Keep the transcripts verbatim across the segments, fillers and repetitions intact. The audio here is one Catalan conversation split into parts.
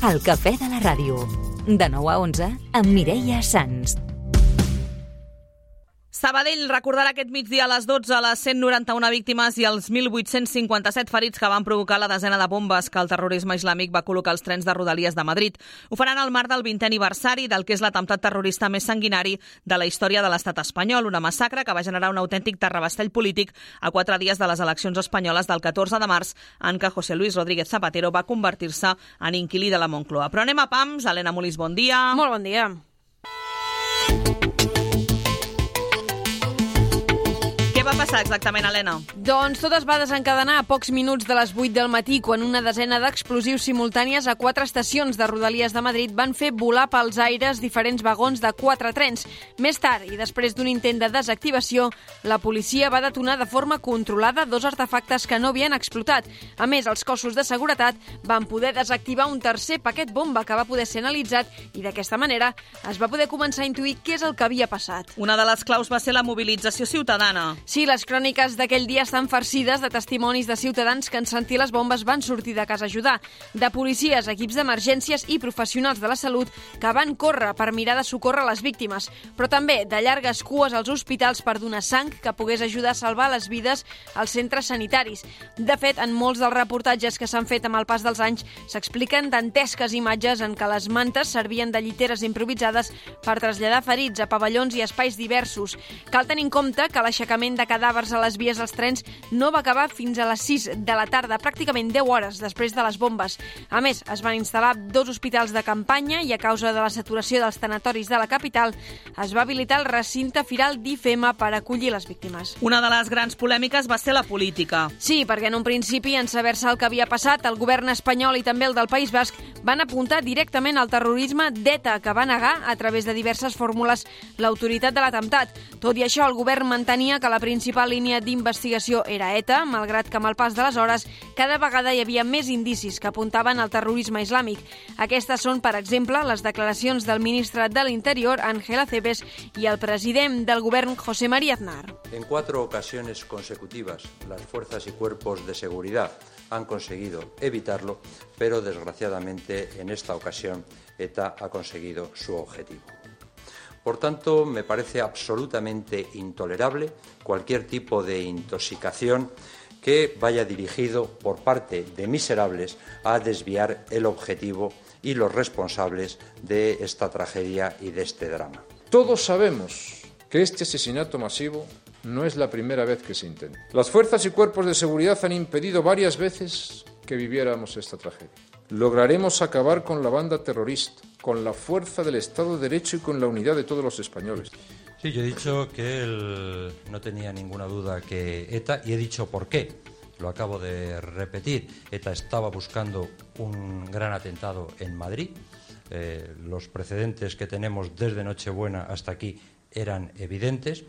El cafè de la ràdio. De nou a onze, amb Mireia Sans. Sabadell recordarà aquest migdia a les dotze les cent noranta-una víctimes i els mil vuit-cents cinquanta-set ferits que van provocar la desena de bombes que el terrorisme islàmic va col·locar als trens de Rodalies de Madrid. Ho faran al marc del vintè aniversari del que és l'atemptat terrorista més sanguinari de la història de l'estat espanyol, una massacre que va generar un autèntic terrabastall polític a quatre dies de les eleccions espanyoles del catorze de març, en què José Luis Rodríguez Zapatero va convertir-se en inquilí de la Moncloa. Però anem a pams. Helena Molís, bon dia. Molt bon dia. Què va passar exactament, Helena? Doncs tot es va desencadenar a pocs minuts de les vuit del matí, quan una desena d'explosius simultànies a quatre estacions de Rodalies de Madrid van fer volar pels aires diferents vagons de quatre trens. Més tard, i després d'un intent de desactivació, la policia va detonar de forma controlada dos artefactes que no havien explotat. A més, els cossos de seguretat van poder desactivar un tercer paquet bomba que va poder ser analitzat i d'aquesta manera es va poder començar a intuir què és el que havia passat. Una de les claus va ser la mobilització ciutadana. Sí, les cròniques d'aquell dia estan farcides de testimonis de ciutadans que en sentir les bombes van sortir de casa a ajudar, de policies, equips d'emergències i professionals de la salut que van córrer per mirar de socórrer les víctimes, però també de llargues cues als hospitals per donar sang que pogués ajudar a salvar les vides als centres sanitaris. De fet, en molts dels reportatges que s'han fet amb el pas dels anys s'expliquen dantesques imatges en què les mantes servien de lliteres improvisades per traslladar ferits a pavellons i espais diversos. Cal tenir en compte que l'aixecament de cadàvers a les vies dels trens no va acabar fins a les sis de la tarda, pràcticament deu hores després de les bombes. A més, es van instal·lar dos hospitals de campanya i a causa de la saturació dels tanatoris de la capital es va habilitar el recinte firal d'I F E M A per acollir les víctimes. Una de les grans polèmiques va ser la política. Sí, perquè en un principi, en saber-se el que havia passat, el govern espanyol i també el del País Basc van apuntar directament al terrorisme d'ETA, que va negar, a través de diverses fórmules, l'autoritat de l'atemptat. Tot i això, el govern mantenia que la principal línia d'investigació era ETA, malgrat que amb el pas de les hores cada vegada hi havia més indicis que apuntaven al terrorisme islàmic. Aquestes són, per exemple, les declaracions del ministre de l'Interior, Ángel Acebes, i el president del govern, José María Aznar. En cuatro ocasiones consecutivas, las fuerzas y cuerpos de seguridad han conseguido evitarlo, pero desgraciadamente en esta ocasión ETA ha conseguido su objetivo. Por tanto, me parece absolutamente intolerable cualquier tipo de intoxicación que vaya dirigido por parte de miserables a desviar el objetivo y los responsables de esta tragedia y de este drama. Todos sabemos que este asesinato masivo no es la primera vez que se intenta. Las fuerzas y cuerpos de seguridad han impedido varias veces que viviéramos esta tragedia. Lograremos acabar con la banda terrorista, con la fuerza del Estado de Derecho y con la unidad de todos los españoles. Sí, yo he dicho que él no tenía ninguna duda que ETA, y he dicho por qué. Lo acabo de repetir. ETA estaba buscando un gran atentado en Madrid. Eh, los precedentes que tenemos desde Nochebuena hasta aquí eran evidentes.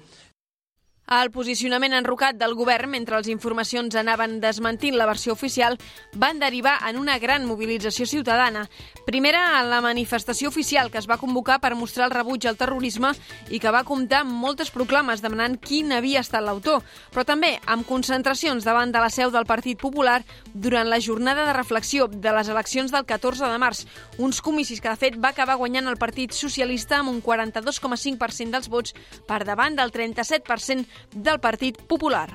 El posicionament enrocat del govern, mentre les informacions anaven desmentint la versió oficial, van derivar en una gran mobilització ciutadana. Primera, en la manifestació oficial que es va convocar per mostrar el rebuig al terrorisme i que va comptar amb moltes proclames demanant quin havia estat l'autor, però també amb concentracions davant de la seu del Partit Popular durant la jornada de reflexió de les eleccions del catorze de març, uns comicis que de fet va acabar guanyant el Partit Socialista amb un quaranta-dos coma cinc per cent dels vots per davant del trenta-set per cent del Partit Popular.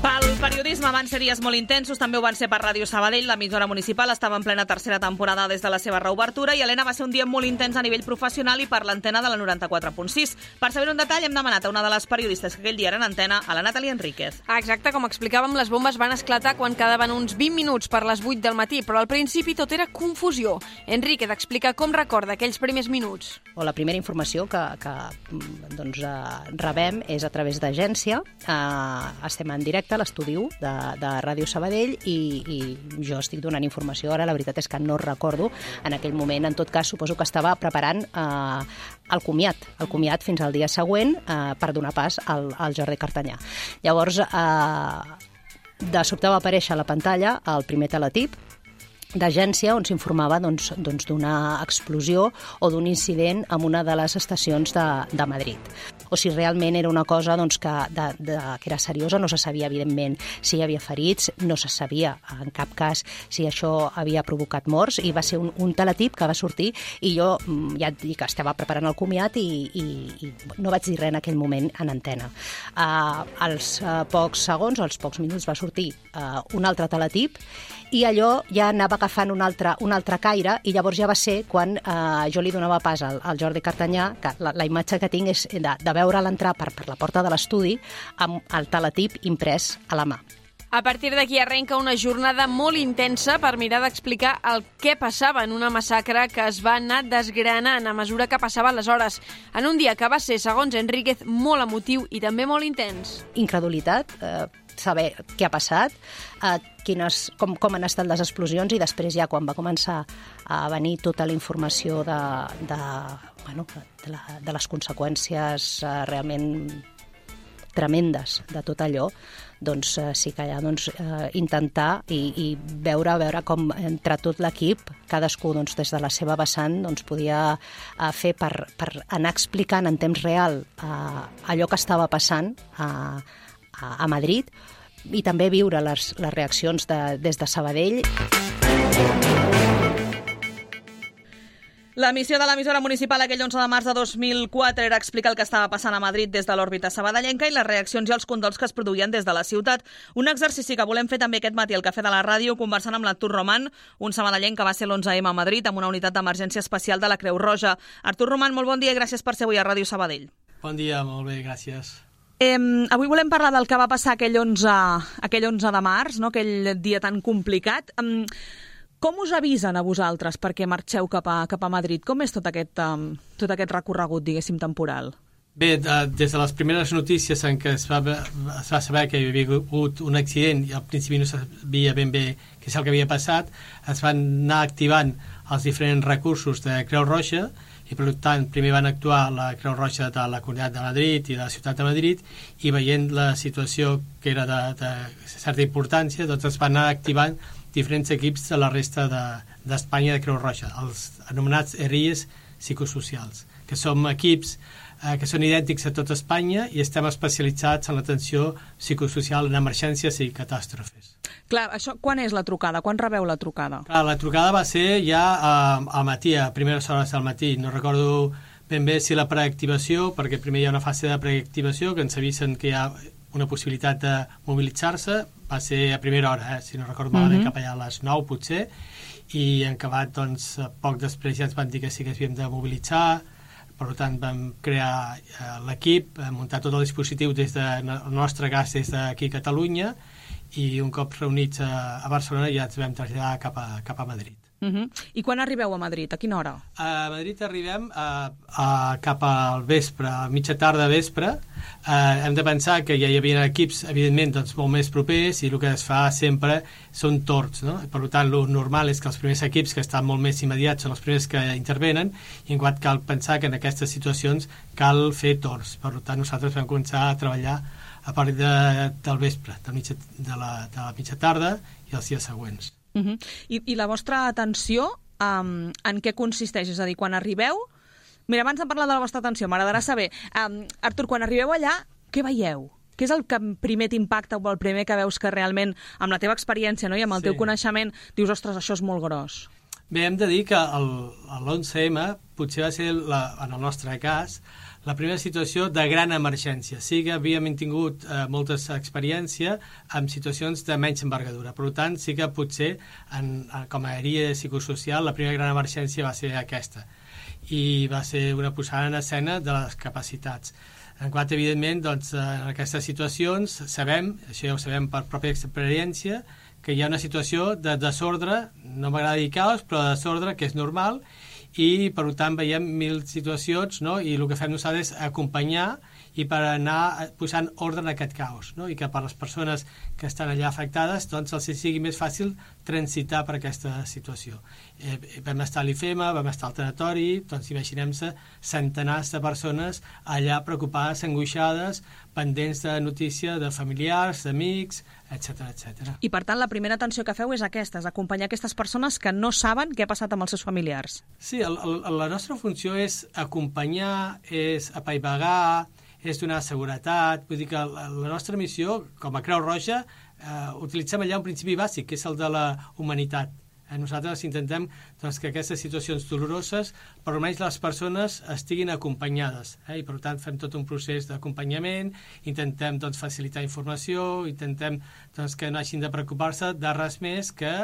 Pel periodisme van ser dies molt intensos, també ho van ser per Ràdio Sabadell. L'emissora municipal estava en plena tercera temporada des de la seva reobertura i, Helena, va ser un dia molt intens a nivell professional i per l'antena de la noranta-quatre punt sis. Per saber un detall hem demanat a una de les periodistes que aquell dia era en antena, a la Nathalie Enríquez. Exacte, com explicàvem, les bombes van esclatar quan quedaven uns vint minuts per les vuit del matí, però al principi tot era confusió. Enríquez explica com recorda aquells primers minuts. O la primera informació que, que doncs, eh, rebem és a través d'agència. Eh, estem en directe a l'estudi u de, de Ràdio Sabadell i, i jo estic donant informació. Ara la veritat és que no recordo en aquell moment. En tot cas, suposo que estava preparant eh, el comiat, el comiat fins al dia següent eh, per donar pas al, al Jordi Cartanyà. Llavors, eh, de sobte va aparèixer a la pantalla el primer teletip d'agència on s'informava doncs, doncs, d'una explosió o d'un incident en una de les estacions de, de Madrid. o si realment era una cosa doncs, que, de, de, que era seriosa, no se sabia, evidentment, si hi havia ferits, no se sabia en cap cas si això havia provocat morts, i va ser un, un teletip que va sortir, i jo ja et dic que estava preparant el comiat i, i, i no vaig dir res en aquell moment en antena. Uh, als uh, pocs segons, als pocs minuts, va sortir uh, un altre teletip, i allò ja anava agafant un altre, un altre caire, i llavors ja va ser quan eh, jo li donava pas al, al Jordi Cartanyà, que la, la imatge que tinc és de, de veure'l entrar per, per la porta de l'estudi amb el teletip imprès a la mà. A partir d'aquí arrenca una jornada molt intensa per mirar d'explicar el què passava en una massacre que es va anar desgranant a mesura que passaven les hores, en un dia que va ser, segons Enríquez, molt emotiu i també molt intens. Incredulitat, eh, saber què ha passat, eh, quines, com, com han estat les explosions, i després ja quan va començar a venir tota la informació de, de, bueno, de, la, de les conseqüències eh, realment tremendes de tot allò, doncs eh, sí que ja doncs, eh, intentar i, i veure, veure com entre tot l'equip, cadascú doncs, des de la seva vessant doncs, podia eh, fer per, per anar explicant en temps real eh, allò que estava passant a, a, a Madrid, i també viure les, les reaccions de, des de Sabadell. La missió de l'emissora municipal aquell onze de març de dos mil quatre era explicar el que estava passant a Madrid des de l'òrbita sabadellenca i les reaccions i els condols que es produïen des de la ciutat. Un exercici que volem fer també aquest matí al Cafè de la Ràdio, conversant amb l'Artur Roman, un sabadellenc que va ser l'onze eme a Madrid amb una unitat d'emergència especial de la Creu Roja. Artur Roman, molt bon dia i gràcies per ser avui a Ràdio Sabadell. Bon dia, molt bé, gràcies. Eh, avui volem parlar del que va passar aquell onze, aquell onze de març, no? Aquell dia tan complicat. Eh, Com us avisen a vosaltres perquè marxeu cap a, cap a Madrid? Com és tot aquest, um, tot aquest recorregut, diguéssim, temporal? Bé, des de les primeres notícies en què es va, es va saber que hi havia hagut un accident i al principi no sabia ben bé què és el que havia passat, es van anar activant els diferents recursos de Creu Roja i per tant primer van actuar la Creu Roja de la Comunitat de Madrid i de la Ciutat de Madrid, i veient la situació que era de, de certa importància, doncs es van anar activant diferents equips de la resta d'Espanya de, de Creu Roja, els anomenats E R I Es psicosocials, que som equips eh, que són idèntics a tot Espanya i estem especialitzats en l'atenció psicosocial en emergències i catàstrofes. Clar, això, quan és la trucada? Quan rebeu la trucada? Clar, la trucada va ser ja eh, al matí, a primeres hores del matí. No recordo ben bé si la preactivació, perquè primer hi ha una fase de preactivació que ens avisen que hi ha una possibilitat de mobilitzar-se, va ser a primera hora, eh? Si no recordo malament, mm-hmm. cap allà a les nou potser, i en acabat, doncs, poc després ja ens van dir que sí que havíem de mobilitzar, per tant vam crear eh, l'equip, muntar tot el dispositiu des de, en el nostre cas des d'aquí a Catalunya, i un cop reunits a, a Barcelona ja ens vam traslladar cap a, cap a Madrid. Uh-huh. I quan arribeu a Madrid? A quina hora? A Madrid arribem a, a, cap al vespre, a mitja tarda vespre. Uh, hem de pensar que ja hi havia equips, evidentment, doncs, molt més propers, i el que es fa sempre són torns, no? Per tant, el normal és que els primers equips que estan molt més immediats són els primers que intervenen, i en quant cal pensar que en aquestes situacions cal fer torns. Per tant, nosaltres vam començar a treballar a partir de, del vespre, de, mitja, de, la, de la mitja tarda i els dies següents. Uh-huh. I, I la vostra atenció um, en què consisteix? És a dir, quan arribeu... Mira, abans de parlar de la vostra atenció, m'agradarà saber, um, Artur, quan arribeu allà, què veieu? Què és el que primer t'impacta o el primer que veus que realment, amb la teva experiència, no, i amb el sí. teu coneixement, dius, ostres, això és molt gros? Bé, hem de dir que l'onze eme potser va ser, la, en el nostre cas, la primera situació de gran emergència. Sí que havíem tingut eh, moltes experiències amb situacions de menys envergadura. Per tant, sí que potser, en, com a àrea psicosocial, la primera gran emergència va ser aquesta. I va ser una posada en escena de les capacitats. En quant, evidentment, doncs, en aquestes situacions sabem, això ja ho sabem per pròpia experiència, que hi ha una situació de desordre, no m'agrada dir caos, però de desordre, que és normal, i per tant veiem mil situacions, no? I el que fem nosaltres és acompanyar i per anar posant ordre en aquest caos, no? I que per les persones que estan allà afectades doncs els sigui més fàcil transitar per aquesta situació. Eh, vam estar a l'I F E M A, vam estar al tanatori, doncs imaginem-se centenars de persones allà preocupades, angoixades, pendents de notícia de familiars, d'amics, etcètera, etcètera. I per tant la primera atenció que feu és aquesta, és acompanyar aquestes persones que no saben què ha passat amb els seus familiars. Sí, el, el, la nostra funció és acompanyar, és apaivagar, és donar seguretat. Vull dir que la, la nostra missió, com a Creu Roja, eh, utilitzem allà un principi bàsic, que és el de la humanitat. Eh, nosaltres intentem doncs, que aquestes situacions doloroses, per almenys les persones estiguin acompanyades, eh, i per tant fem tot un procés d'acompanyament, intentem doncs, facilitar informació, intentem doncs, que no hagin de preocupar-se de res més que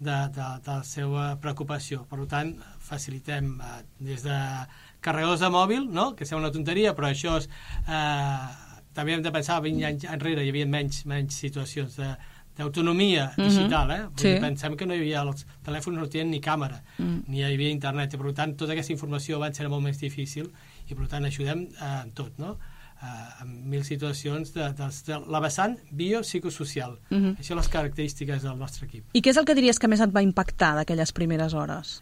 de, de, de la seva preocupació. Per tant, facilitem eh, des de carregadors de mòbil, no? Que sembla una tonteria, però això és, eh, també hem de pensar, vint anys enrere hi havia menys, menys situacions de d'autonomia digital, eh? Sí. Pensem que no hi havia, els telèfons no tenien ni càmera, mm. ni hi havia internet, i per tant tota aquesta informació va ser molt més difícil, i per tant ajudem eh, en tot, no? Eh, en mil situacions de, de, de la vessant biopsicosocial. Mm-hmm. Això són les característiques del nostre equip. I què és el que diries que més et va impactar d'aquelles primeres hores?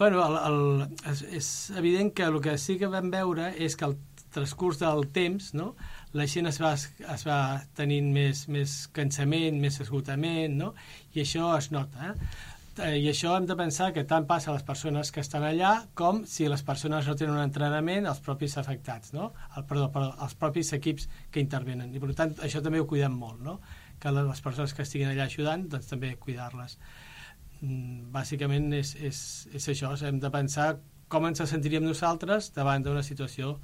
Bueno, el, el, és, és evident que el que sí que vam veure és que el transcurs del temps, no? La gent es va, es va tenint més, més cansament, més esgotament, no? I això es nota. Eh? I això hem de pensar que tant passa a les persones que estan allà com si les persones no tenen un entrenament, els propis afectats, no? El, perdó, perdó, els propis equips que intervenen. I per tant, això també ho cuidem molt, no? Que les persones que estiguin allà ajudant, doncs també cuidar-les. Bàsicament és, és, és això, hem de pensar com ens sentiríem nosaltres davant d'una situació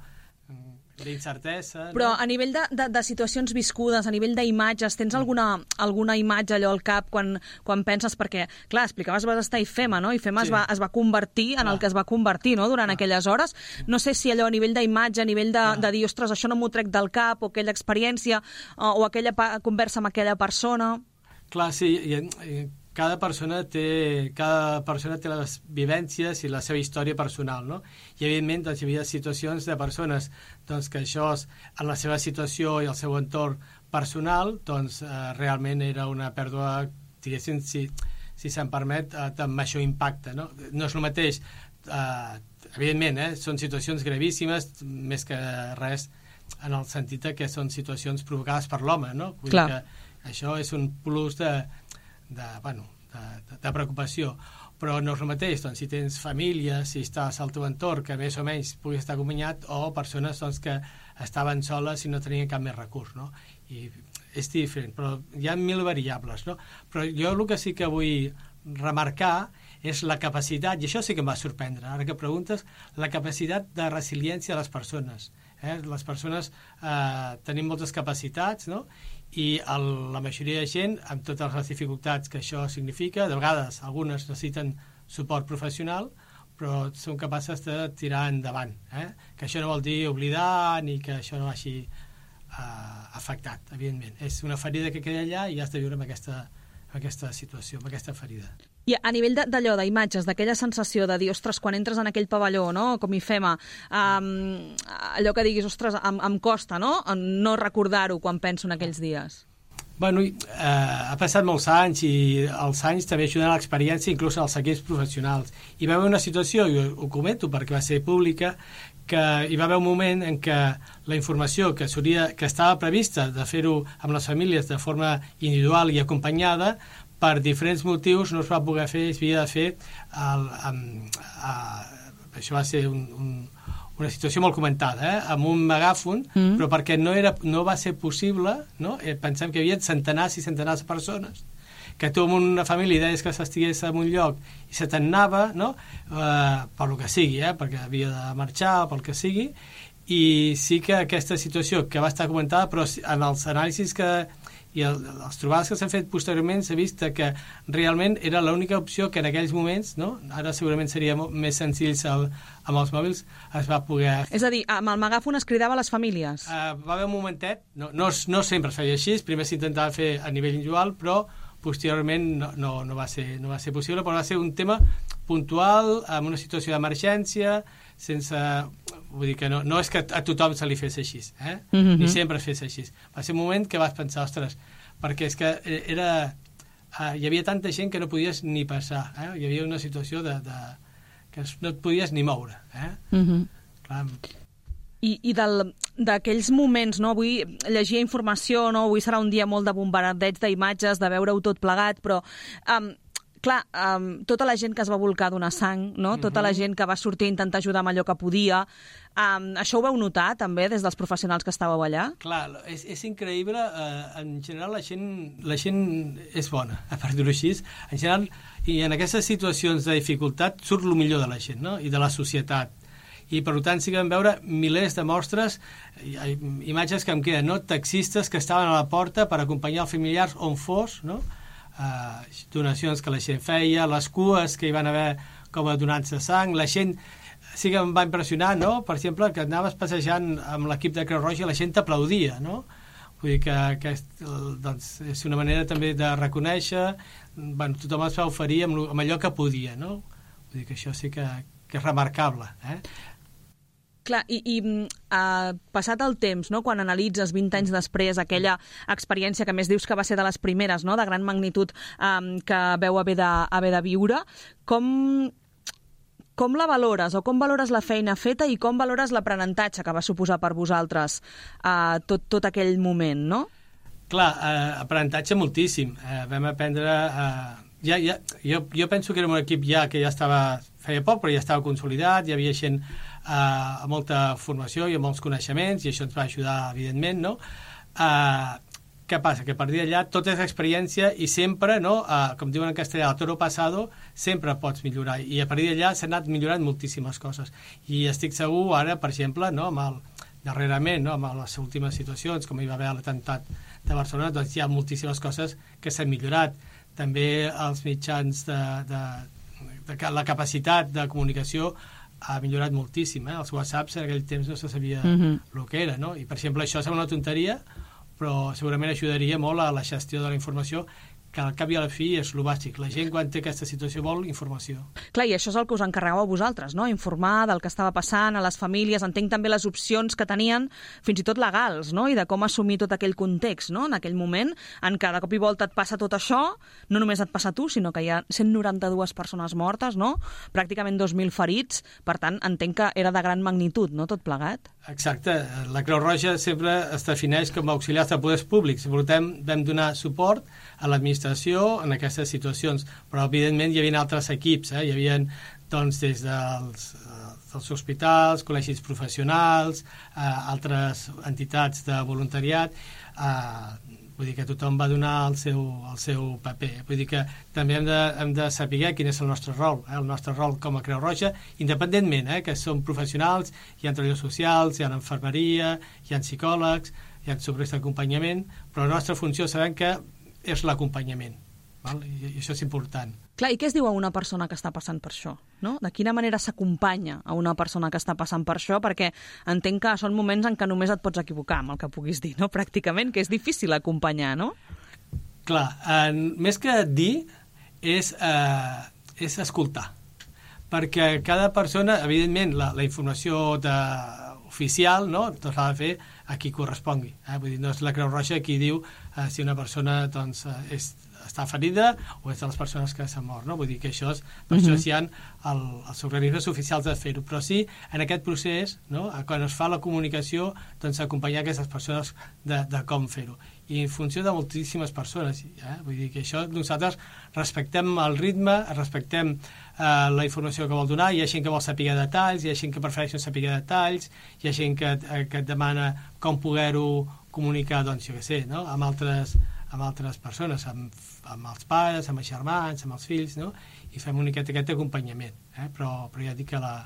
d'incertesa. Però no? a nivell de, de, de situacions viscudes, a nivell d'imatges, tens alguna, alguna imatge allò al cap quan, quan penses, perquè, clar, explicaves vas estar a IFEMA, no? IFEMA sí. es, va, es va convertir en clar. el que es va convertir, no?, durant clar. aquelles hores. No sé si allò a nivell d'imatge, a nivell de, de dir, ostres, això no m'ho trec del cap, o aquella experiència, o, o aquella conversa amb aquella persona. Clar, sí, i, i cada persona té cada persona té les vivències i la seva història personal, no? I evidentment doncs, hi havia situacions de persones doncs, que això en la seva situació i el seu entorn personal doncs eh, realment era una pèrdua, diguéssim, si, si se'n permet, eh, amb major impacte, no? No és el mateix, eh, evidentment, eh, són situacions gravíssimes, més que res en el sentit que són situacions provocades per l'home, no? Vull dir que això és un plus de De, bueno, de, de, de preocupació, però no és el mateix doncs, si tens família, si estàs al teu entorn que més o menys puguis estar acompanyat, o persones doncs, que estaven soles i no tenien cap més recurs, no? I és diferent, però hi ha mil variables, no? Però jo el que sí que vull remarcar és la capacitat, i això sí que em va sorprendre, ara que preguntes, la capacitat de resiliència de les persones. Eh? Les persones eh, tenim moltes capacitats, no? I el, la majoria de gent, amb totes les dificultats que això significa, de vegades algunes necessiten suport professional, però són capaces de tirar endavant. Eh? Que això no vol dir oblidar ni que això no vagi eh, afectat, evidentment. És una ferida que queda allà i has de viure amb aquesta, amb aquesta situació, amb aquesta ferida. I a nivell d'allò, d'imatges, d'aquella sensació de dir, ostres, quan entres en aquell pavelló, no?, com IFEMA, um, allò que diguis, ostres, em, em costa, no?, no recordar-ho quan penso en aquells dies. Bueno, eh, ha passat molts anys i els anys també ajuden a l'experiència, inclús als equips professionals. Hi va haver una situació, i ho, ho comento perquè va ser pública, que hi va haver un moment en què la informació que, que estava prevista de fer-ho amb les famílies de forma individual i acompanyada, per diferents motius no es va poder fer, es havia de fer el, amb, a, això va ser un, un, una situació molt comentada, eh? Amb un megàfon, mm. però perquè no, era, no va ser possible, no? Eh, pensem que hi havia centenars i centenars de persones, que tu amb una família deies que s'estigués en un lloc i se t'anava, no? eh, per lo que sigui, eh? Perquè havia de marxar, pel que sigui, i sí que aquesta situació que va estar comentada, però en els anàlisis que i el, les trobades que s'han fet posteriorment s'ha vist que realment era l'única opció que en aquells moments, no? Ara segurament seria més senzills el, amb els mòbils, es va poder... És a dir, amb el megàfon es cridava a les famílies? Uh, va haver un momentet, no, no, no sempre es feia així, primer s'intentava fer a nivell individual, però posteriorment no, no, no, va ser, no va ser possible, però va ser un tema puntual, amb una situació d'emergència, sense... Vull dir que no, no és que a tothom se li fes així, eh? Mm-hmm. Ni sempre es fes així. Va ser un moment que vas pensar, ostres, perquè és que era... Uh, hi havia tanta gent que no podies ni passar, eh? Hi havia una situació de, de, que no et podies ni moure, eh? Mm-hmm. Clar. I, i d'aquells moments, no? Avui llegia informació, no? Avui serà un dia molt de bombardeig d'imatges, de veure-ho tot plegat, però... Um, clar, um, tota la gent que es va volcar donar sang, no? Tota la gent que va sortir a intentar ajudar amb allò que podia, um, això ho vau notar també des dels professionals que estàveu allà? Clar, és, és increïble, uh, en general la gent, la gent és bona, per dir-ho així, en general, i en aquestes situacions de dificultat surt el millor de la gent, no? I de la societat. I per tant sí que vam veure milers de mostres, imatges que em queden, no? Taxistes que estaven a la porta per acompanyar els familiars on fos, no? Uh, donacions que la gent feia, les cues que hi van haver com a donants de sang, la gent sí que em va impressionar, no? Per exemple, que anaves passejant amb l'equip de Creu Roja i la gent t'aplaudia, no? Vull dir que, que doncs, és una manera també de reconèixer, bueno, tothom es va oferir amb, amb allò que podia, no? Vull dir que això sí que, que és remarcable, eh? Clar, i, i uh, passat el temps, no? Quan analitzes vint anys després aquella experiència que més dius que va ser de les primeres, no? De gran magnitud um, que veu haver de, haver de viure, com, com la valores o com valores la feina feta i com valores l'aprenentatge que va suposar per vosaltres uh, tot, tot aquell moment, no? Clar, eh, aprenentatge moltíssim. Eh, vam aprendre... Eh, ja, ja, jo, jo penso que era un equip ja que ja estava, feia poc, però ja estava consolidat, hi havia gent eh, a molta formació i amb molts coneixements, i això ens va ajudar, evidentment, no? Eh, què passa? Que a partir d'allà tot és experiència i sempre, no? Eh, com diuen en castellà, el toro pasado, sempre pots millorar, i a partir d'allà s'han anat millorant moltíssimes coses. I estic segur ara, per exemple, no? Amb el, darrerament, no? Amb les últimes situacions, com hi va haver l'atemptat de Barcelona, doncs hi ha moltíssimes coses que s'han millorat. També els mitjans de, de, de la capacitat de comunicació ha millorat moltíssim, eh? Els whatsapps en aquell temps no se sabia mm-hmm. el que era, no? I per exemple això sembla una tonteria, però segurament ajudaria molt a la gestió de la informació, que al cap i a la fi és el bàsic. La gent, quan té aquesta situació, vol informació. Clar, i això és el que us encarregeu a vosaltres, no? Informar del que estava passant a les famílies, entenc també les opcions que tenien, fins i tot legals, no? I de com assumir tot aquell context, no? En aquell moment, en què de cop i volta et passa tot això, no només et passa a tu, sinó que hi ha cent noranta-dues persones mortes, no? Pràcticament dos mil ferits, per tant, entenc que era de gran magnitud, no?, tot plegat. Exacte. La Creu Roja sempre es defineix com a auxiliars de poders públics. Per tant, vam donar suport a l'administració en aquestes situacions, però evidentment hi havia altres equips, eh? Hi havia doncs, des dels, dels hospitals, col·legis professionals, eh, altres entitats de voluntariat, eh, vull dir que tothom va donar el seu, el seu paper. Vull dir que també hem de, hem de saber quin és el nostre rol, eh? El nostre rol com a Creu Roja, independentment, eh? Que som professionals, hi ha treballadors socials, hi ha infermeria, hi ha psicòlegs, hi ha subjectes d'acompanyament, però la nostra funció sabem que és l'acompanyament, val? I, i això és important. Clar, i què es diu a una persona que està passant per això? No? De quina manera s'acompanya a una persona que està passant per això? Perquè entenc que són moments en què només et pots equivocar amb el que puguis dir, no? Pràcticament, que és difícil acompanyar, no? Clar, eh, més que dir és, eh, és escoltar, perquè cada persona, evidentment, la, la informació de, oficial, no? Doncs l'ha de fer a qui correspongui. Eh? Vull dir, no és la Creu Roja qui diu eh, si una persona doncs, és, està ferida o és de les persones que s'ha mort. No? Vull dir que això és, per uh-huh. això hi ha el, els organismes oficials de fer-ho. Però sí, en aquest procés, no? Quan es fa la comunicació, doncs acompanyar aquestes persones de, de com fer-ho. I en funció de moltíssimes persones. Eh? Vull dir que això nosaltres respectem el ritme, respectem eh, la informació que vol donar, hi ha gent que vol saber detalls, hi ha gent que prefereix no saber detalls, hi ha gent que, eh, que et demana com poder-ho comunicar, doncs jo què sé, no? amb, altres, amb altres persones, amb, amb els pares, amb els germans, amb els fills, no? I fem una miqueta aquest acompanyament. Eh? Però, però ja dic que la...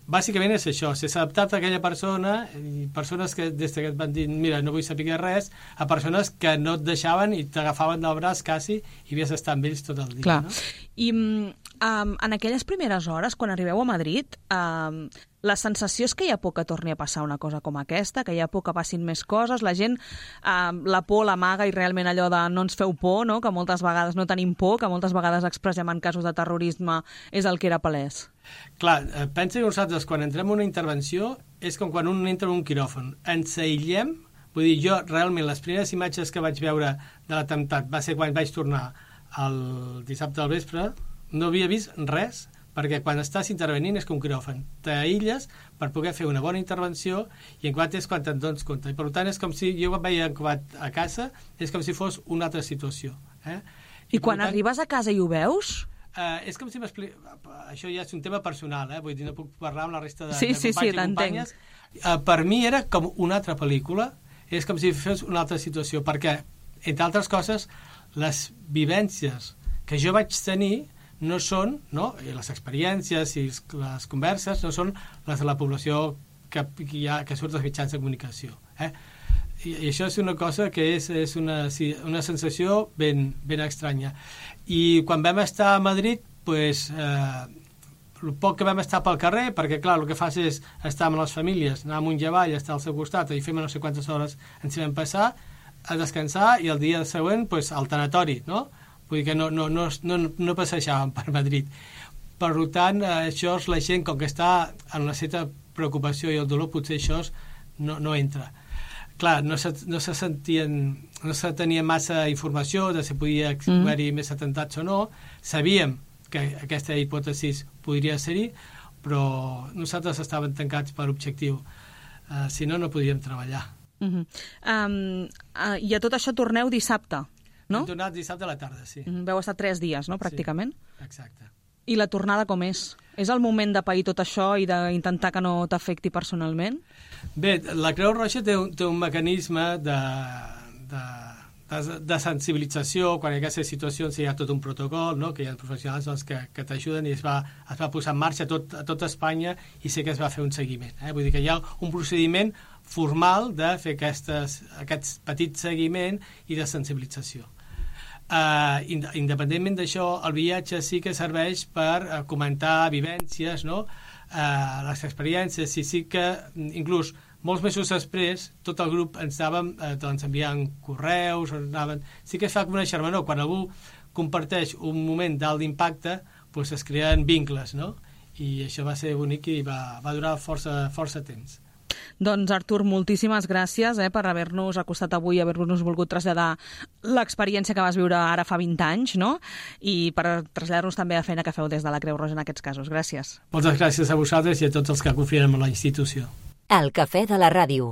Bàsicament és això, s'ha adaptat a aquella persona, i persones que des que et van dir mira, no vull saber res, a persones que no et deixaven i t'agafaven del braç quasi i havies d'estar amb ells tot el dia. Clar. No? I um, en aquelles primeres hores, quan arribeu a Madrid, um, la sensació és que hi ha por que torni a passar una cosa com aquesta, que hi ha por que passin més coses, la gent um, la por l'amaga i realment allò de no ens feu por, no? Que moltes vegades no tenim por, que moltes vegades expressem en casos de terrorisme, és el que era palès. Clar, pensa que nosaltres quan entrem en una intervenció és com quan un entra en un quiròfan, ens aïllem, vull dir, jo realment les primeres imatges que vaig veure de l'atemptat va ser quan vaig tornar el dissabte al vespre, no havia vist res, perquè quan estàs intervenint és com un quiròfan, t'aïlles per poder fer una bona intervenció i en quant és quan te'n dones compte, i per tant és com si jo quan veia a casa és com si fos una altra situació, eh? I quan tant, arribes a casa i ho veus? Uh, és com si m'expliqui... Això ja és un tema personal, eh? Vull dir, no puc parlar amb la resta de, sí, de companys sí, sí, i companyes. Uh, per mi era com una altra pel·lícula, és com si fes una altra situació, perquè, entre altres coses, les vivències que jo vaig tenir no són, no? I les experiències i les converses no són les de la població que, que, ha, que surt dels mitjans de comunicació. Eh? I, I això és una cosa que és, és una, sí, una sensació ben, ben estranya. I quan vam estar a Madrid, pues, eh, el poc que vam estar pel carrer, perquè clar, el que fas és estar amb les famílies, anar amunt i avall, estar al seu costat, i fem no sé quantes hores ens hi vam passar, a descansar, i el dia següent pues, al tanatori, no? Vull dir que no, no, no, no, no passejàvem per Madrid. Per tant, això és la gent, com que està en una certa preocupació i el dolor, potser això no, no entra. Clar, no se, no se sentien, no se tenia massa informació de si podia mm. haver-hi més atemptats o no. Sabíem que aquesta hipòtesi podria ser-hi, però nosaltres estàvem tancats per objectiu. Uh, si no, no podíem treballar. Uh-huh. Um, uh, I a tot això torneu dissabte, no? Hem tornat dissabte a la tarda, sí. Uh-huh. Veu estar tres dies, no?, pràcticament. Sí, exacte. I la tornada com és? És el moment de pair tot això i d'intentar que no t'afecti personalment? Bé, la Creu Roja té un, té un mecanisme de, de, de, de sensibilització. Quan hi ha aquestes situacions hi ha tot un protocol, no?, que hi ha professionals doncs, que, que t'ajuden, i es va, es va posar en marxa a tot, a tot Espanya, i sé que es va fer un seguiment. Eh? Vull dir que hi ha un procediment formal de fer aquestes, aquest petit seguiment i de sensibilització. Uh, independentment d'això, el viatge sí que serveix per uh, comentar vivències, no? uh, les experiències, i sí que inclús molts mesos després tot el grup ens anàvem uh, doncs, enviant correus, anàvem... sí que es fa com una xermanor. Quan algú comparteix un moment d'alt d'impacte, doncs es creen vincles, no? I això va ser bonic i va, va durar força, força temps. Doncs, Artur, moltíssimes gràcies eh, per haver-nos acostat avui, haver-nos volgut traslladar l'experiència que vas viure ara fa vint anys, no? I per traslladar-nos també a feina que feu des de la Creu Roja en aquests casos. Gràcies. Moltes gràcies a vosaltres i a tots els que confien en la institució. El cafè de la ràdio.